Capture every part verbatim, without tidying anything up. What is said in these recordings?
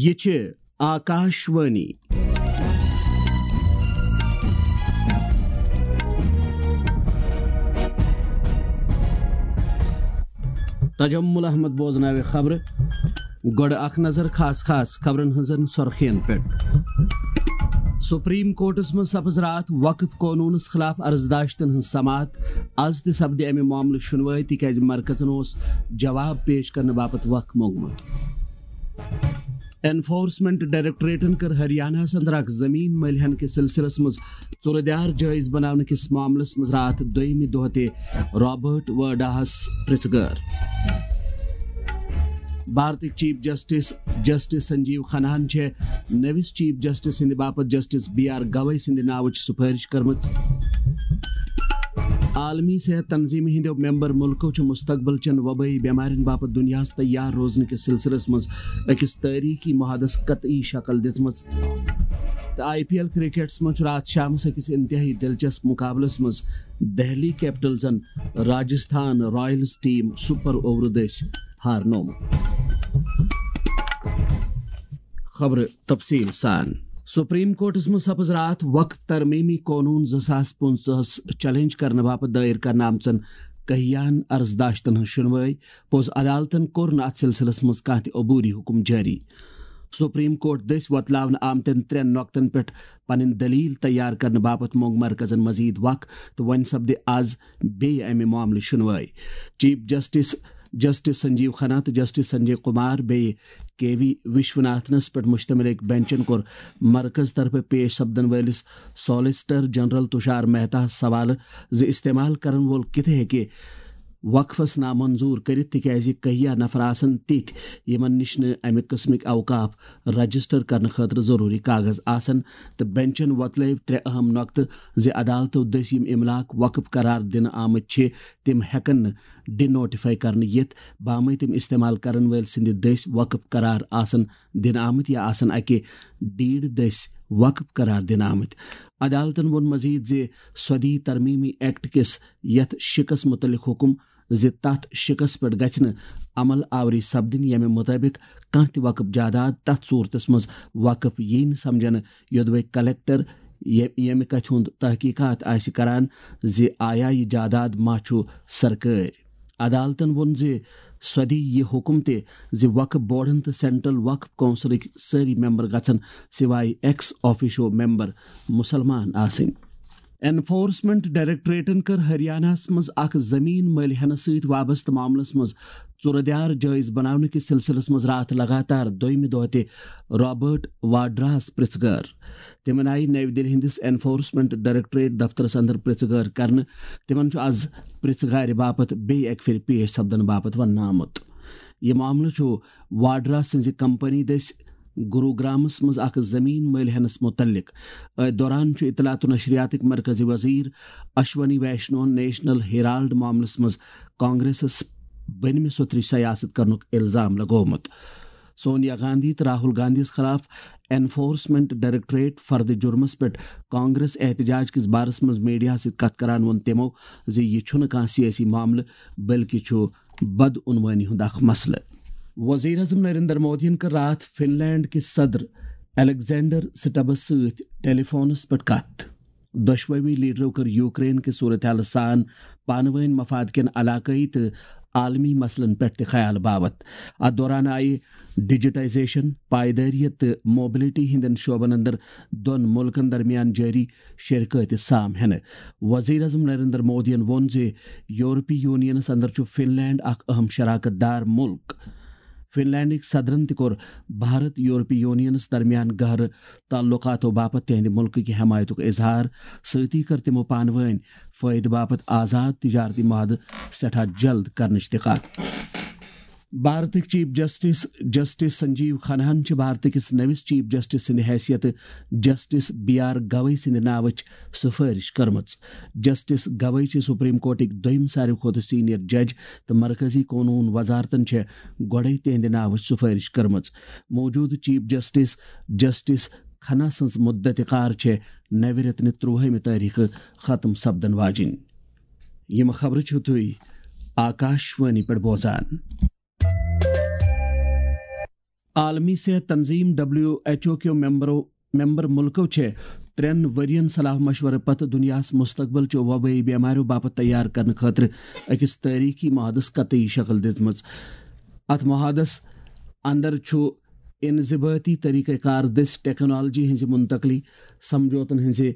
یہ چھ آکاشوانی۔ تجمل احمد بوزناوِ خبرٕ۔ گۄڈٕ اکھ نظر خاص خاص خبرن ہٕنٛزن سرخین پٮ۪ٹھ۔ سپریم کورٹس منٛز سپز راتھ وقف قونوٗنس خلاف عرضداشتن ہٕنٛز سماعت۔ از تہِ سپدِ امہِ معاملہٕ شُنوٲے، تِکیازِ مرکزن اوس جواب پیش کرنہٕ باپتھ وق موٚنگمُت۔ انفورسمنٹ ڈائریکٹوریٹن کٔر ہریانہس اندر اکھ زمین مٔلۍ ہینہٕ کِس سلسلس منٛز ژُرٕ دیار جٲیز بناونہٕ کِس معاملس منٛز راتھ دوٚیمہِ دۄہ تہِ رابرٹ وڈراہس پرژھٕ گٲر۔ بھارتٕکۍ چیف جسٹس جسٹس سنجیو کھناہن چھےٚ نٔوِس چیف جسٹس ہٕنٛدِ باپتھ جسٹس بی آر گوئی سٕنٛدِ ناوٕچ سفٲرش کٔرمٕژ۔ عالمی صحت تنظیمہِ ہٕنٛدیو ممبر مُلکو چھُ مستقبل چٮ۪ن وبٲیی بٮ۪مارٮ۪ن باپتھ دُنیاہَس تیار روزنہٕ کِس سلسلس منٛز أکِس تٲریخی معاہدس قطعی شکل دِژمٕژ۔ تہٕ آئی پی ایل کرکٹس منٛز چھُ راتھ شامس أکِس انتہٲئی دلچسپ مقابلس منٛز دہلی کیپٹلزن Rajasthan royals team super over دٔسۍ ہارنومُت۔ خبرٕ تفصیل سان۔ سپریم کورٹس منٛز سپز راتھ وقف ترمیمی قونوٗن زٕ ساس پٕنٛژٕہس چیلنج کرنہٕ باپتھ دٲیر کرنہٕ آمژن کہیان عرضداشتن ہٕنٛز شُنوٲے۔ پوٚز عدالتن کوٚر نہٕ اتھ سلسلس منٛز کانٛہہ تہِ عبوری حکم جٲری۔ سپریم کورٹ دٔسۍ وۄتلاونہٕ آمتٮ۪ن ترٛٮ۪ن نۄقطن پٮ۪ٹھ پنٕنۍ دٔلیٖل تیار کرنہٕ باپتھ موٚنگ مرکزن مزید وق، تہٕ وۄنۍ سپدِ از بیٚیہِ امہِ معاملٕچ شُنوٲے۔ Chief justice justice Sanjiv Khanna تہٕ جسٹس سنجے کمار بیٚیہِ کے وی وشوناتھنس پٮ۪ٹھ مشتمل أکۍ بینچن کوٚر مرکز طرفہٕ پیش سپدن وٲلِس سالیسٹر جنرل تشار مہتاہس سوالہٕ زِ استعمال کرن وول کِتھہٕ ہیٚکہِ وقفس نامنظور کٔرِتھ، تِکیازِ کہیا نفر آسن تِتھۍ یِمن نِش نہٕ امہِ قٕسمٕکۍ اوقاف رجسٹر کرنہٕ خٲطرٕ ضروٗری کاغذ آسن۔ تہٕ بینچن وۄتلٲوۍ ترٛےٚ اہم نۄقطہٕ زِ عدالتو دٔسۍ یِم املاک وقف قرار دِنہٕ آمٕتۍ چھِ، تِم ہٮ۪کن نہٕ ڈی نوٹیفائی کرنہٕ یِتھ، بامے تِم استعمال کرن وٲلۍ سٕنٛدِ دٔسۍ وقف قرار آسن دِنہٕ آمٕتۍ یا آسن اکہِ ڈیٖڈ دٔسۍ وقف قرار دِنہٕ آمٕتۍ۔ عدالتن ووٚن مزید زِ سودی ترمیمی ایکٹ کِس یتھ شِکس متعلق حکم زِ تتھ شِکس پٮ۪ٹھ گژھِ نہٕ عمل آوری سپدٕنۍ، ییٚمہِ مُطٲبِق کانٛہہ تہِ وقف جاداد تتھ صورتس منٛز وقف ییہِ نہٕ سمجھنہٕ، یوٚدوے کلکٹر یے-، ییٚمہِ کتھِ ہُنٛد تحقیقات آسہِ کران زِ آیا یہِ جاداد ما چھُ سرکٲرۍ۔ عدالتن ووٚن زِ سۄ دِیہِ یہِ حُکم تہِ زِ وقف بورڈن تہٕ سینٹرل وقف کونسلٕکۍ سٲری ممبر گژھن سوائے ایکس آفیشو ممبر مسلمان آسٕنۍ۔ انفورسمنٹ ڈائریکٹوریٹن کٔر ہریانہس منٛز اکھ زمین مٔلۍ ہینہٕ سۭتۍ وابستہٕ معاملس منٛز ژُرٕ دیار جٲیز بناونہٕ کِس سلسلس منٛز راتھ لگاتار دوٚیمہِ دۄہ تہِ رابرٹ واڈراہس پرژھٕ گٲر۔ تِمن آیہِ نَوِ دِلہِ ہٕنٛدِس انفورسمنٹ ڈائریکٹوریٹ دفترس اندر پرژھٕ گٲر کرنہٕ۔ تِمن چھُ از پرژھٕ گارِ باپتھ بیٚیہِ اکہِ پھِرِ پیش سپدنہٕ باپتھ وننہٕ آمُت۔ یہِ معاملہٕ چھُ واڈرا سٕنٛزِ کمپنی دٔسۍ گروگرامس منٛز اکھ زمین مٔلۍ ہینس متعلق۔ أتھۍ دوران چھُ اطلاعات و نشریاتٕکۍ مرکزی وزیر اشونی ویشنون نیشنل ہیرالڈ معاملس منٛز کانگریسس بٔنمہِ سوٚتھرٕچ سیاست کرنُک الزام لگومُت۔ سونیا گاندھی تہٕ راہل گاندھیَس خلاف انفورسمنٹ ڈائریکٹوریٹ فرد جرمس پٮ۪ٹھ کانگریس احتجاج کِس بارس منٛز میڈیاہَس سۭتۍ کتھ کران ووٚن تِمو زِ یہِ چھُنہٕ کانٛہہ سیٲسی معاملہٕ، بلکہِ چھُ بدعنوانی ہُنٛد اکھ مسلہٕ۔ وزیر اعظم نریندر مودیَن کٔر راتھ فن لینڈ کِس صدر الیگزینڈر سٹبس سۭتۍ ٹیلی فونس پٮ۪ٹھ کتھ۔ دۄشوٕے لیڈرو کٔر یوکرین کہِ صورتحالہٕ سان پانہٕ وٲنۍ مفاد کٮ۪ن علاقٲیی تہٕ عالمی مسلن پٮ۪ٹھ تہِ خیال باوت۔ اتھ دوران آیہِ ڈیجیٹائزیشن، پائیدٲریت تہٕ موبلٹی ہٕنٛدٮ۪ن شعبن اندر دۄن مُلکن درمیان جٲری شراکتٕچ سام ہینہٕ۔ وزیر اعظم نریندر مودیَن ووٚن زِ یورپی یونینس اندر چھُ فن لینڈ اکھ اہم شراکت دار مُلک۔ فن لینڈٕکۍ صدرن تہِ کوٚر بھارت یورپی یونینس درمیان گہرٕ تعلقاتو باپتھ تِہنٛدِ مُلکٕکہِ حمایتُک اظہار۔ سۭتی کٔر تِمو پانہٕ وٲنۍ فٲیدٕ باپتھ آزاد تجارتی معاہدٕ سٮ۪ٹھاہ جلد کرنٕچ تہِ کتھ۔ بھارتٕکۍ چیف جسٹس جسٹس سنجیو کھناہن چھِ بھارتٕکِس نٔوِس چیف جسٹس سٕنٛدِ حیثیتہٕ جسٹس بی آر گوئی سٕنٛدِ ناوٕچ سفٲرش کٔرمٕژ۔ جسٹس گوئی چھِ سپریم کورٹٕکۍ دوٚیِم ساروی کھۄتہٕ سینئر جج تہٕ مرکزی قونوٗن وزارتن چھےٚ گۄڈَے تِہنٛدِ ناوٕچ سفٲرش کٔرمٕژ۔ موجودٕ چیف جسٹس جسٹس کھنہ سٕنٛز مدت کار چھےٚ نوِ رٮ۪تہٕ نہِ ترٛوہمہِ تٲریخہٕ ختم سپدن واجِنۍ۔ یِم خبرٕ چھِو تُہۍ آکاشوانی پٮ۪ٹھ بوزان۔ عالمی صحت تنظیم، ڈبلیو ایچ او کیو ممبرو ممبر ملکو چھِ ترٛٮ۪ن ؤرین صلاح مشورٕ پتہٕ دنیاہس مستقبل چیو وبٲیی بیماریو باپتھ تیار کرنہٕ خٲطرٕ أکِس تٲریخی معاہدس قطعی شکل دِژمٕژ۔ اتھ معاہدس اندر چھُ انضباطی طریقہ کار دٔسۍ ٹیکنالوجی ہٕنٛزِ منتقلی، سمجھوتن ہٕنٛزِ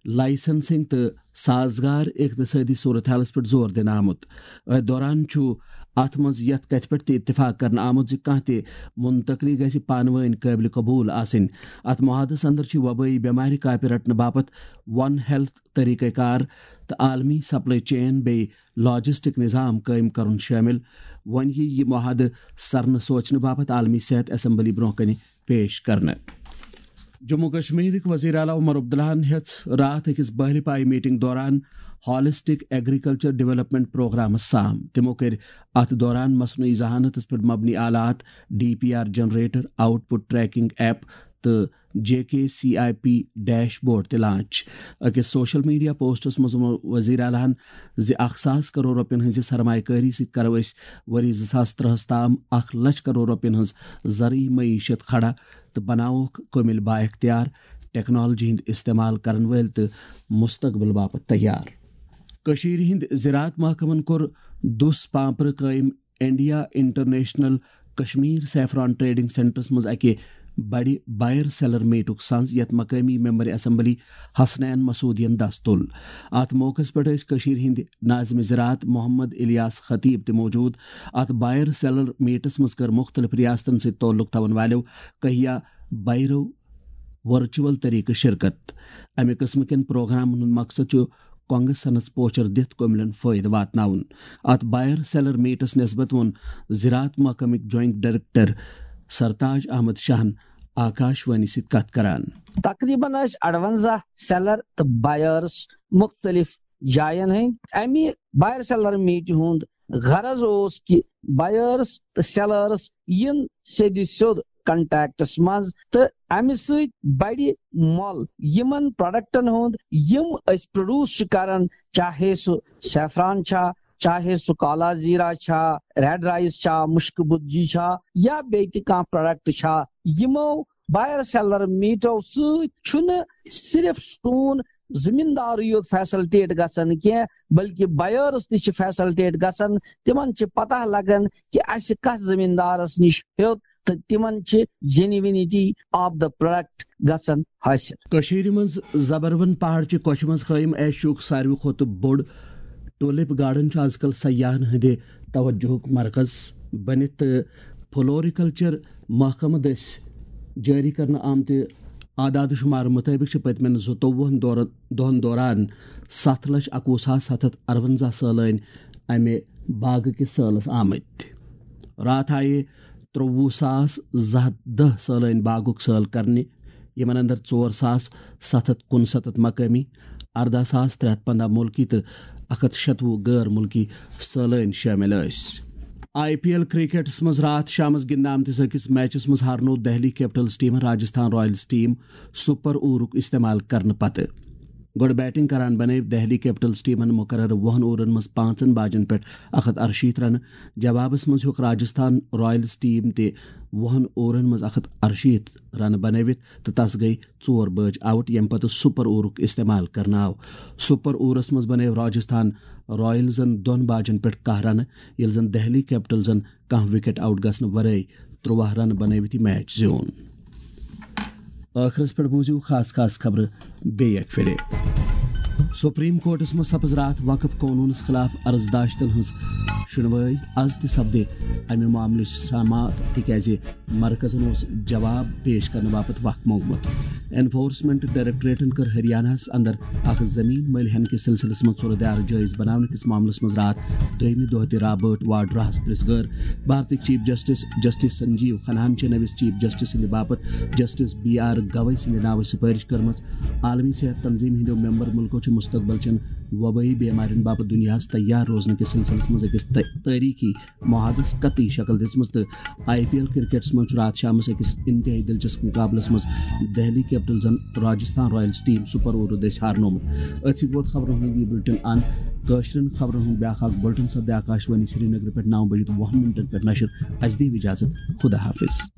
لائسنسنگ تہٕ سازگار اقتصٲدی صورتحالس پٮ۪ٹھ زور دِنہٕ آمُت۔ أتھۍ دوران چھُ اتھ منٛز یتھ کتھِ پٮ۪ٹھ تہِ اتفاق کرنہٕ آمُت زِ کانٛہہ تہِ منتقلی گژھِ پانہٕ وٲنۍ قٲبلِ قبول آسٕنۍ۔ اتھ معاہدس اندر چھِ وبٲیی بٮ۪مارِ کاپہِ رٹنہٕ باپتھ ون ہیلتھ طریقہ کار تہٕ عالمی سپلائی چین بیٚیہِ لاجسٹک نظام قٲیِم کرُن شٲمِل۔ وۄنۍ یِیہِ یہِ معاہدٕ سرنہٕ سوچنہٕ باپتھ عالمی صحت اسمبلی برونٛہہ کنہِ پیش کرنہٕ۔ جموں کشمیرٕکۍ وزیر اعلیٰ عمر عبداللہن ہیٚژ راتھ أکِس بحرِ پایہِ میٹنگ دوران ہالسٹک ایگریکلچر ڈیولپمنٹ پروگرامس سام۔ تِمو کٔرۍ اتھ دوران مصنوعی ذہانتس پٮ۪ٹھ مبنی آلات، D P R generator, output tracking app تہٕ J K C I P dashboard تہِ لانچ۔ أکِس سوشل میڈیا پوسٹس منٛز ووٚن وزیر اعلیٰ ہن زِ اکھ ساس کرور رۄپین ہٕنٛزِ سرمایہ کٲری سۭتۍ کرو أسۍ ؤری زٕ ساس ترٛہس تام اکھ لچھ کرور رۄپین ہٕنٛز زرعی معیشت کھڑا تہٕ بناووکھ کٲمِل بااختیار، ٹیکنالوجی ہُنٛد استعمال کرن وٲلۍ تہٕ مستقبل باپتھ تیار۔ کٔشیٖرِ ہٕنٛدۍ زراعت محکمن کوٚر دُس پانپرٕ قٲیِم India international Kashmir saffron trading سینٹرس منٛز اکہِ بڑِ بائر سیلر میٹُک سنز، یتھ مقٲمی ممبر اسمبلی حسنین مسعودین دس تُل۔ اتھ موقعس پٮ۪ٹھ ٲسۍ کٔشیٖرِ ہٕنٛدۍ ناظم زراعت محمد الیاس خطیب تہِ موجود۔ اتھ بائر سیلر میٹس منٛز کٔر مُختٔلِف ریاستن سۭتۍ تعلق تھاون والٮ۪و کہیا بائرو ورچوئل طریقہٕ شرکت۔ امہِ قٕسمہٕ کٮ۪ن پروگرامن ہُنٛد مقصد چھُ کۄنٛگہٕ سنس پوچر دِتھ کٔملٮ۪ن فٲیدٕ واتناوُن۔ اتھ بائر سیلر میٹس نسبت ووٚن زراعت محکمٕکۍ جوائنٹ ڈائریکٹر سرتاج احمد شاہن آکاش وانی سۭتۍ کتھ کران۔ تقریباً ٲسۍ اَرونٛزاہ سیلر تہٕ بائرس مُختٔلِف جاین ہٕنٛدۍ۔ امہِ بائر سیلر میٹہِ ہُنٛد غرض اوس کہِ بائرس تہٕ سیلرس یِن سیٚدِ سیوٚد کنٹیکٹس منٛز تہٕ امہِ سۭتۍ بڑِ مۄل یِمن پروڈکٹن ہُنٛد یِم أسۍ پروڈیوس چھِ کران، چاہے سُہ سیفران چھا، چاہے سُہ کالا زیرہ چھا، ریڈ رائس چھا، مشک بدجی چھا، یا بیٚیہِ تہِ کانٛہہ پروڈکٹ چھا۔ یِمو بائر سیلر میٹو سۭتۍ چھُنہٕ صرف سون زمیٖندارٕے یوت فیسلٹیٹ گژھان کینٛہہ، بلکہِ بائرس تہِ چھِ فیسلٹیٹ گژھان۔ تِمن چھِ پتہ لگان کہِ اسہِ کس زمیٖندارس نِش ہیوٚت تہٕ تِمن چھِ جینوینٹی آف دا پروڈکٹ گژھان حٲصِل۔ کٔشیٖرِ منٛز زبروَن پہاڑ چہِ کۄچھِ منٛز قٲیِم ایشیاہُک ساروی کھۄتہٕ بوٚڑ ٹولپ گارڈن چھُ از کل سیاحن ہٕنٛدِ توجہُک مرکز بٔنِتھ تہٕ فلوریکلچر محکمہٕ دٔسۍ جٲری کرنہٕ آمتہِ اعداد و شمار مُطٲبِق چھِ پٔتمٮ۪ن زٕتووُہن دورن، دۄہن دوران ستھ لچھ اکوُہ ساس ستھ ہتھ ارونزاہ سٲلٲنۍ امہِ باغہٕ کِس سٲلس آمٕتۍ۔ راتھ آیہِ ترٛوٚوُہ ساس زٕ ہتھ دَہ سٲلٲنۍ باغُک سٲل کرنہِ، یِمن اندر ژور ساس ستھ ہتھ کُنسَتتھ مقٲمی، ارداہ ساس ترٛےٚ ہتھ پنٛداہ مُلکی تہٕ اکھ ہتھ شتوُہ غٲر مُلکی سٲلٲنۍ شٲمِل ٲسۍ۔ آئی پی ایل کرکٹس منٛز راتھ شامس گِنٛدنہٕ آمتِس أکِس میچس منٛز ہارنوو دہلی کیپٹلز ٹیمن راجستھان رائلز ٹیم سپر اوورُک استعمال کرنہٕ پتہٕ۔ گۄڈٕ بیٹنگ کران بنٲوۍ دہلی کیپٹلز ٹیمن مقررٕ وُہن اوورن منٛز پانٛژن باجن پٮ۪ٹھ اکھ ہتھ ارشیٖتھ رنہٕ۔ جوابس منٛز ہیوٚک راجستھان رائلز ٹیم تہِ وُہن اوورن منٛز اکھ ہتھ ارشیٖتھ رنہٕ بنٲوِتھ تہٕ تس گٔیہِ ژور بٲجۍ آؤٹ، ییٚمہِ پتہٕ سپر اوورُک استعمال کرنہٕ آو۔ سپر اوورس منٛز بنٲوۍ راجستھان رائلزن دۄن باجن پٮ۪ٹھ کاہ رنہٕ، ییٚلہِ زن دہلی کیپٹلزن کانٛہہ وکٹ آؤٹ گژھنہٕ ورٲے ترٛواہ رنہٕ بنٲوِتھ یہِ میچ زیوٗن۔ ٲخرس پٮ۪ٹھ بوٗزِو خاص خاص خبرٕ بیٚیہِ اکہِ پھِرِ۔ سپریم کورٹس منٛز سپٕز راتھ وقف قونوٗنس خلاف عرض داشتن ہٕنٛز شُنوٲے۔ از تہِ سپدِ امہِ معاملٕچ سماعت، تِکیازِ مرکزن اوس جواب پیش کرنہٕ باپتھ وق موٚنگمُت۔ انفورسمنٹ ڈائریکٹوریٹن کٔر ہریانہ ہس اندر اکھ زمین مٔلۍ ہینہٕ کِس سلسلس منٛز صورتحال جٲیز بناونہٕ کِس معاملس منٛز راتھ دوٚیمہِ دۄہ تہِ رابرٹ واڈراہس پرٛژھ گٲر۔ بھارتٕکۍ چیف جسٹس جسٹس سنجیو کھناہن چھِ نٔوِس چیف جسٹس سٕنٛدِ باپتھ جسٹس بی آر گوئی سٕنٛدِ ناوٕچ سفٲرش کٔرمٕژ۔ عالمی صحت تنظیم ہٕنٛدیو ممبر مُلکو چھِ مستقبل چٮ۪ن وبٲیی بیمارٮ۪ن باپتھ دُنیاہَس تیار روزنہٕ کِس سلسلس منٛز أکِس تٲ- تٲریخی معاہدس قطعی شکل دِژمٕژ تہٕ آئی پی ایل کرکٹس منٛز چھُ راتھ شامس أکِس انتہٲئی دلچسپ مقابلس منٛز دہلی کیپٹلزن راجستھان رائلز ٹیم سپر اوورو دٔسۍ ہارنومُت۔ أتھۍ سۭتۍ ووت خبرن ہُنٛد یہِ بُلٹن اند۔ کٲشرٮ۪ن خبرن ہُنٛد بیٛاکھ اکھ بُلٹن سپدِ آکاشوانی سرینگرٕ پٮ۪ٹھ نو بجے تہٕ وُہن منٹن پٮ۪ٹھ نشر۔ اسہِ دِیِو اجازت۔ خدا حافظ۔